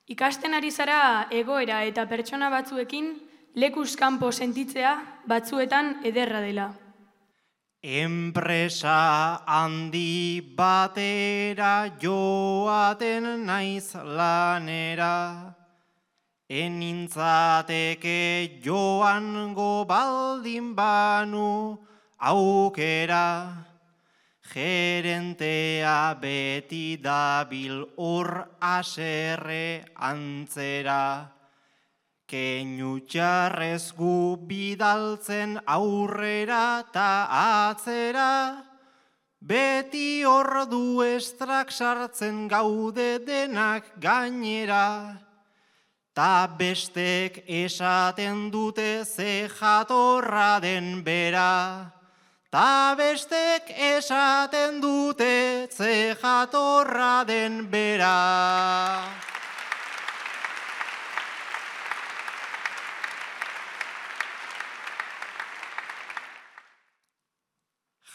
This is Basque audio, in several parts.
Ikasten ari zara egoera eta pertsona batzuekin lekuz kanpo sentitzea batzuetan ederra dela. Enpresa handi batera joaten naiz lanera, enintzateke joango baldin banu aukera, gerentea beti dabil hor haserre antzera, keinu txarrez gu bidaltzen aurrera ta atzera, beti ordu estrak sartzen gaude denak gainera, ta bestek esaten dute ze jatorra den bera, ta bestek esaten dute ze jatorra den bera.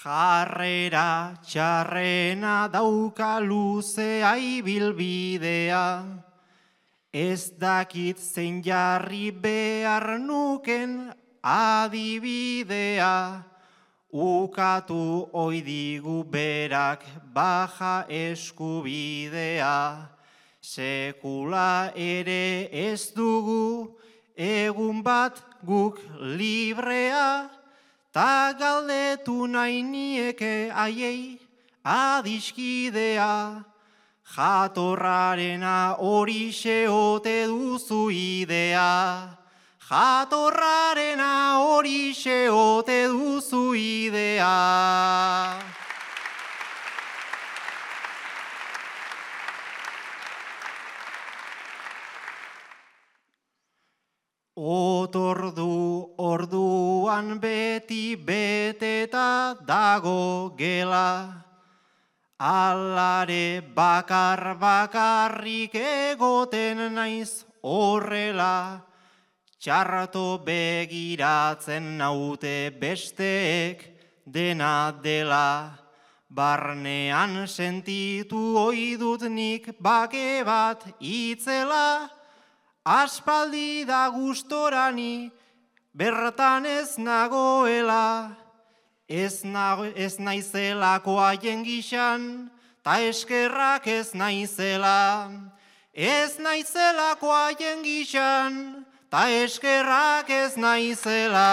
Jarrera txarrena dauka luzea ibilbidea, ez dakit zein jarri behar nuken adibidea, ukatu oidigu berak baja eskubidea, sekula ere ez dugu egun bat guk librea, ta galdetu nahi nieke aiei adiskidea, jatorrarena horixe ote duzu idea, jatorrarena horixe ote duzu idea. Otordu orduan beti beteta dago gela, alare bakarrik egoten naiz horrela, txarto begiratzen naute besteek dena dela, barnean sentitu oidut nik bake bat itzela, aspaldi da gustorani bertan ez nagoela, ez naizelako haien gixan, ta eskerrak ez naizela, ez naizelako haien gixan, ta eskerrak ez naizela.